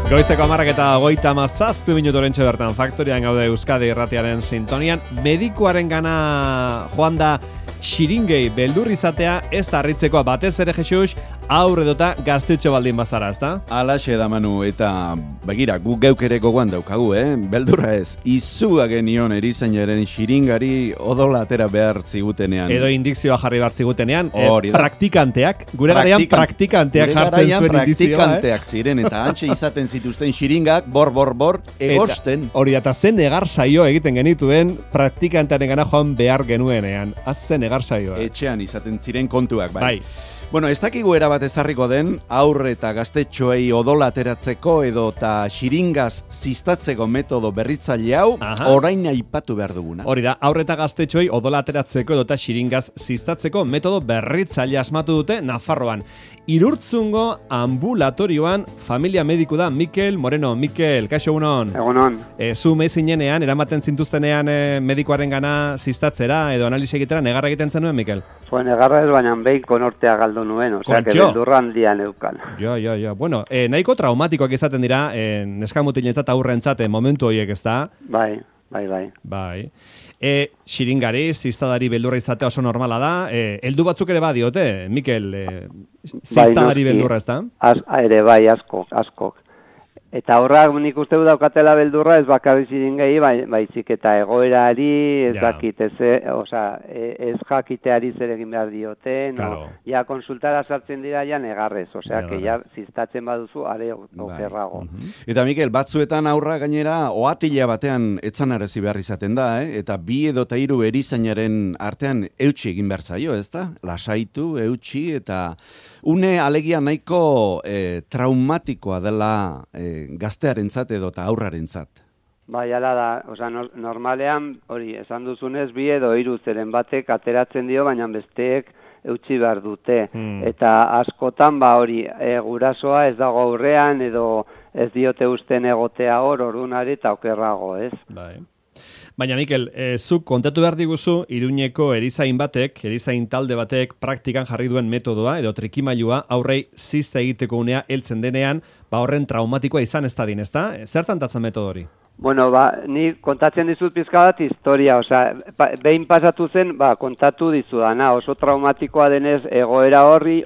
Goizeko 10:37 orentxe bertan faktorian gaude Euskadi irratiaren sintonian. Medikuarengana joan da xiringei beldur izatea ez da harritzekoa batez ere Jesus, aur edota gaztetxo baldin bazara, ezta? Alaxe da Manu, eta begira, gu geuk ere gogoan daukagu, beldurra ez, izua genion erizainaren xiringari odola atera behar zigutenean. Edo indikzioa jarri behar zigutenean, Hori da. praktikanteak, gure garaian praktikanteak jartzen zuen indikzioa. Praktikanteak ziren, eta antxe izaten zituzten xiringak, bor, egosten. Hori, eta zen negar saio egiten genituen praktikantearen gana joan behar genuenean. Azzen negar saioa. Etxean izaten ziren kontuak, bai. Bueno, ez dakigu erabat ezarriko den, aurre eta gaztetxoei odola ateratzeko edo eta xiringaz ziztatzeko metodo berritzaile hau, orain aipatu behar duguna. Hori da, aurre eta gaztetxoei odola ateratzeko edo eta xiringaz ziztatzeko metodo berritzaile asmatu dute Nafarroan. Irurtzungo ambulatorioan familia mediku da Mikel Moreno. Mikel, kaixo egunon? Egunon. Zu meizinenean, eramaten zintuztenean medikoaren gana ziztatzera edo analisi egitera, negarra egiten zenuen, Mikel? Negarra ez, baina behin konortea galdu nuen, osea, que beldurra handian eukan. Jo. Bueno, nahiko traumatikoak izaten dira, neskamutilentzat aurrentzat momentu horiek, ez da? Bai. Xiringari, ziztadari beldurra izatea oso normala da. Heldu batzuk ere badiote, Mikel, ziztadari beldurra, ez da? Ere bai, askok. Eta horrak nik uste du daukatela beldurra ez bakarri xiringei, baizik eta egoerari, ez dakit, ez jakiteari zer egin behar dioten, ja konsultara sartzen dira ja negarrez, osea, que ja ziztatzen baduzu, are okerrago. Eta Mikel, batzuetan aurra gainera, oatila batean etzanarazi behar izaten da, eta bi edo eta hiru erizainaren artean eutxi egin behar zaio, ez da? Lasaitu, eutxi, eta une alegia nahiko traumatikoa dela gaztearentzat edo eta aurrarentzat. Bai, ala da, osea, normalean, hori, esan duzunez, bi edo hiru zeren batek ateratzen dio, baina besteek eutxi behar dute. Eta askotan, hori, gurasoa ez dago aurrean, edo ez diote usten egotea orduan eta okerrago, ez? Bai. Baina, Mikel, zuk kontatu behar diguzu, Iruñeko erizain talde batek praktikan jarri duen metodoa, edo trikimailua, aurrei zizta egiteko unea heltzen denean, horren traumatikoa izan ez dadin, ezta? Zertan tatzen metodo hori? Bueno, ni kontatzen dizut pizka bat historia, osea, behin pasatu zen, kontatu dizudana, oso traumatikoa denez egoera horri,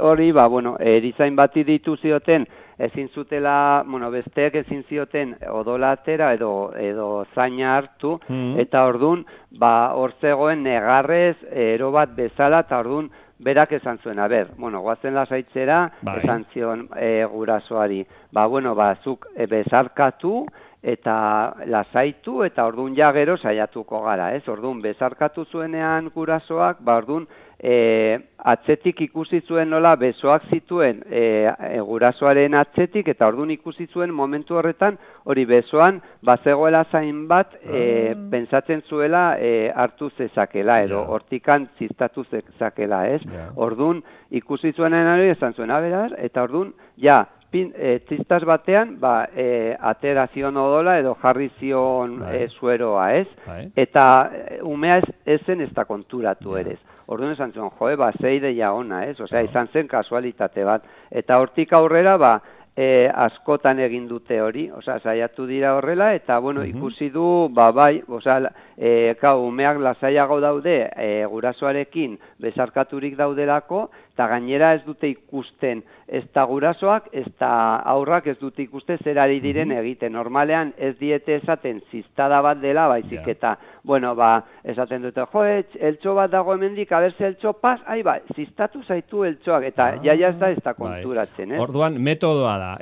erizain bati ditu zioten, ezin zutela, besteek ezin zioten odola atera edo zaina hartu, eta ordun, hor zegoen negarrez, ero bat bezala, eta ordun, berak esan zuen, goazen lasaitzera, esan zion gurasoari. Zuk bezarkatu, eta lasaitu, eta ordun ja gero saiatuko gara, ez? Ordun bezarkatu zuenean gurasoak, ordun atzetik ikusi zuen nola besoak zituen gurasoaren atzetik, eta ordun ikusi zuen momentu horretan, hori besoan, bazegoela zain bat, pentsatzen zuela hartu zezakela, edo hortikan ziztatu zezakela, ez? Ordun ikusi zuenen hori, esan zuen, eta ordun, ziztaz batean, atera zion odola edo jarri zion zueroa, ez? Eta umea ez zen ez da konturatu ere. Orduan esan zuen, ze ideia ona, ez? Osea, izan zen kasualitate bat. Eta hortik aurrera, askotan egin dute hori, osea, saiatu dira horrela, eta, ikusi du, umeak lasaiago daude, gurasoarekin bezarkaturik daudelako, eta gainera ez dute ikusten, ez da gurasoak, ez da aurrak ez dute ikuste zer ari diren egiten. Normalean ez diete esaten ziztada bat dela, baizik eta, esaten dute, eltxo bat dago hemendik, abertze eltxo pas, ziztatu zaitu eltxoak, eta jaia ez da konturatzen, ez? Orduan, metodoa da,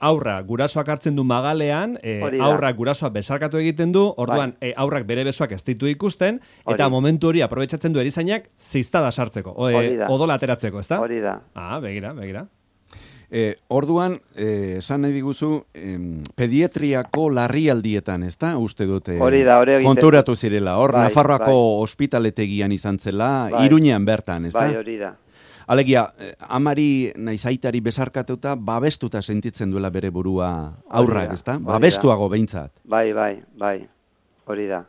aurra gurasoak hartzen du magalean, aurrak gurasoak bezarkatu egiten du, orduan, aurrak bere besoak ez ditu ikusten, eta momentu hori aprobetxatzen du erizainak ziztada sartzeko, odola ateratzeko, ezta? Hori da. Begira. Orduan, esan nahi diguzu, pediatriako larrialdietan, ezta? Uste dute konturatu zirela, hor Nafarroako ospitaletegian izan zela, Iruñean bertan, ezta? Bai, hori da. Alegia, amari naiz aitari bezarkatuta, babestuta sentitzen duela bere burua aurrak, ezta? Babestuago behintzat. Bai, hori da.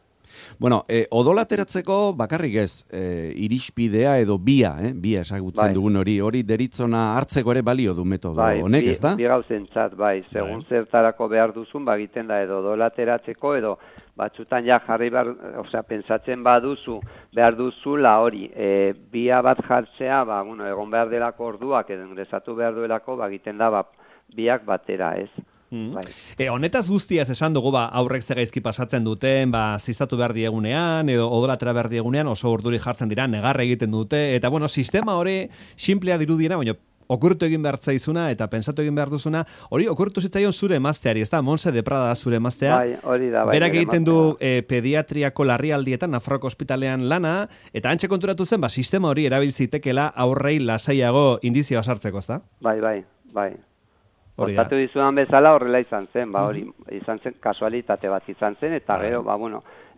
Bueno, odola ateratzeko bakarrik ez, irispidea edo bia esagutzen dugun hori deritzona hartzeko ere balio du metodo honek, ez da? Bi gauzentzat, segun zertarako behar duzun, egiten da edo odola ateratzeko edo batzutan ja jarri pentsatzen baduzu, behar duzula hori, bia bat jartzea, egon behar delako orduak, edo ingresatu behar duelako, egiten da biak batera, ez? Honetaz guztiaz esan dugu, aurrek zegaizki pasatzen duten, ziztatu behar diegunean, edo odolatera behar diegunean, oso urduri jartzen dira, negarra egiten dute, eta sistema hori simplea dirudiena, baina okurtu egin behar zaizuna eta pensatu egin behar duzuna, hori okurtu zitzaion zure emazteari, ez da? Montse de Prada da zure emaztea. Hori da, berak egiten du pediatriako larrialdietan, Nafarroako ospitalean lana, eta antxe konturatu zen, sistema hori erabiltzitekela aurrei lasaiago indizioa sartzeko, ez da? Bai. Kontatu dizudan bezala horrela izan zen, hori izan zen, kasualitate bat izan zen, eta gero,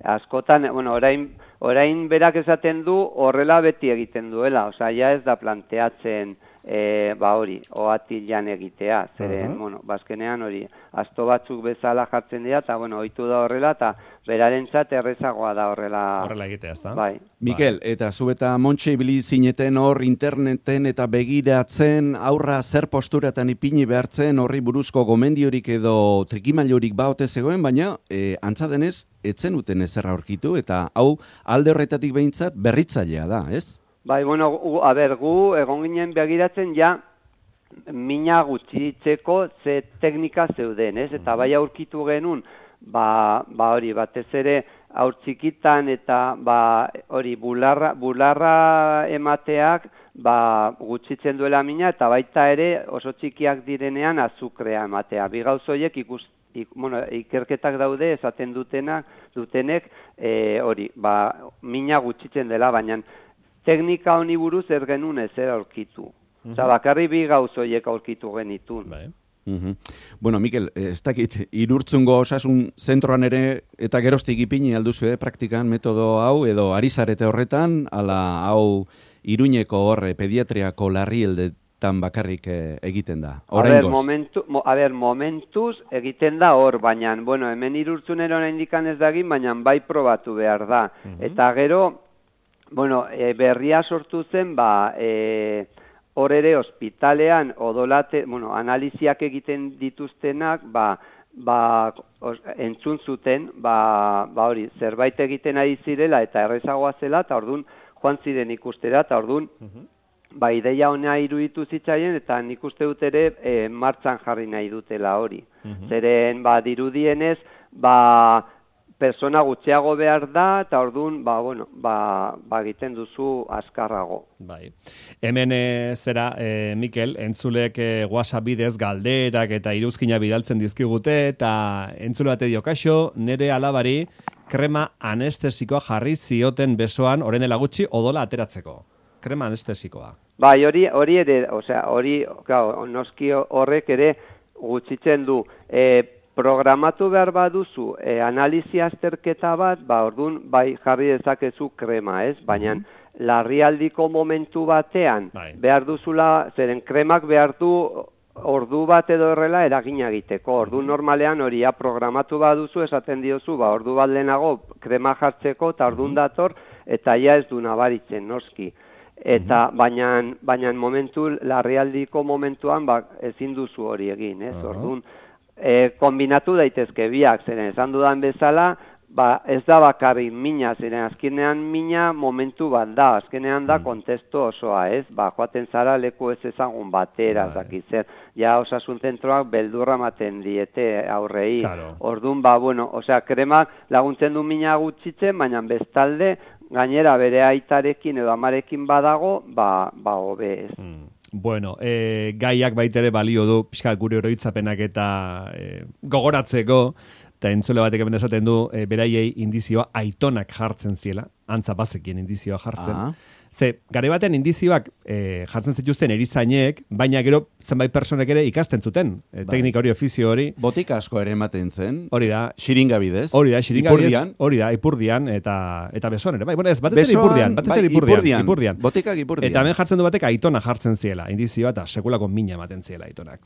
askotan, orain berak esaten du horrela beti egiten duela, ja ez da planteatzen hori, oatilan egitea, zeren, bazkenean hori, asto batzuk bezala jartzen dira, eta, ohitu da horrela, eta berarentzat errezagoa da horrela egitea, ez da? Bai. Mikel, eta zu eta Montse ibili zineten hor interneten eta begiratzen aurra zer posturatan ipini behartzen horri buruzko gomendiorik edo trikimailurik baote zegoen, baina antza denez, etzen uten ezer aurkitu, eta hau alde horretatik behintzat berritzailea da, ez? Bai, gu egon ginen begiratzen ja mina gutxitzeko ze teknika zeuden, ez? Eta bai aurkitu genuen, hori batez ere aur txikitan eta hori bularra emateak gutxitzen duela mina eta baita ere oso txikiak direnean azukrea ematea. Bi gauz horiek ikerketak daude esaten dutenek hori, mina gutxitzen dela, baina teknika honi buruz ez genuen ezer aurkitu. Bakarri bi gauz horiek aurkitu genitun. Bueno, Mikel, ez dakit, Irurtzungo osasun zentroan ere eta geroztik ipini alduzu praktikan metodo hau, edo ari zarete horretan, ala hau Iruñeko horre pediatriako larrialdetan bakarrik egiten da. Momentuz egiten da hor, baina, hemen Irurtzunero indikan ez dagin, baina bai probatu behar da. Eta gero, berria sortu zen, hor ere ospitalean analiziak egiten dituztenak, entzun zuten, hori, zerbait egiten ari zirela eta errezagoa zela, eta orduan joan ziren ikustera, eta orduan, ideia honea iruditu zitzaien, eta nik uste dut ere martxan jarri nahi dutela hori. Zeren, dirudienez, persona gutxiago behar da, eta orduan, egiten duzu azkarrago. Bai. Hemen Mikel, entzulek WhatsApp bidez galderak eta iruzkina bidaltzen dizkigute, eta entzule bate dio, kaixo, nere alabari krema anestesikoa jarri zioten besoan, orain dela gutxi, odola ateratzeko. Krema anestesikoa. Bai, hori ere, noski horrek ere gutxitzen du, programatu behar baduzu analizi azterketa bat, orduan jarri dezakezu krema, ez? Baina larrialdiko momentu batean behar duzula, zeren kremak behar du ordu bat edo horrela eragina egiteko. Orduan normalean horia programatu baduzu esaten diozu, ordu bat lehenago krema jartzeko eta orduan dator eta ja ez du nabaritzen noski. Eta baina momentu larrialdiko momentuan ezin duzu hori egin, ez? Orduan kombinatu daitezke biak, zeren esan dudan bezala, ez da bakarrik mina, zeren azkenean mina momentu bat da, azkenean da kontestu osoa, ez? Joaten zara leku ez ezagun batera, zakitzer, ja osasun zentroak beldurra ematen diete aurrei. Orduan, kremak laguntzen du mina gutxitzen, baina bestalde, gainera bere aitarekin edo amarekin badago, hobe ez. Bueno, gaiak baitere balio du, pixka gure oroitzapenak eta gogoratzeko, eta entzule batek hemen esaten du, beraiei indizioa aitonak jartzen ziela, antza bazekien indizioa jartzen. Ze, gare batean indizioak jartzen zituzten erizainek, baina gero zenbait personek ere ikasten zuten, teknika hori, ofizio hori. Botika asko ere ematen zen. Hori da. Xiringa bidez. Hori da, ipurdian, eta besoan ere. Bai, bueno, ez, batez ere ipurdian. Botikak ipurdian. Eta hemen jartzen du batek aitona jartzen ziela, indizioa, eta sekulako mina ematen ziela aitonak.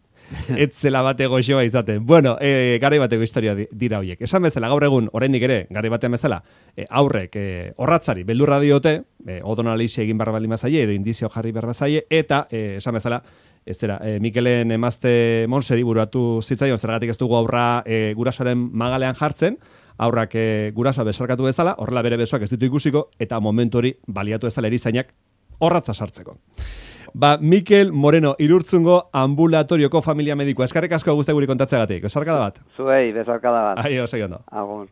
Ez zela bate goxoa izaten. Bueno, garai bateko historia dira horiek. Esan bezala, gaur egun, oraindik ere, garai batean bezala, aurrek horratzari beldurra diote, odonalize egin behar bali mazaie, edo indizio jarri behar bazaie, eta esan bezala, ez dira, Mikelen emazte Monseri buruatu zitzaion, zergatik ez dugu aurra gurasoaren magalean jartzen, aurrak gurasoa besarkatu bezala, horrela bere besoak ez ditu ikusiko, eta momentu hori baliatu ezala erizainak horratza sartzeko. Mikel Moreno, Irurtzungo ambulatorioko familia medikoa. Eskarrik asko guzti guri kontatzeagatik. Besarkada bat. Zuei, besarkada bat. Aio, segi ondo. Agur.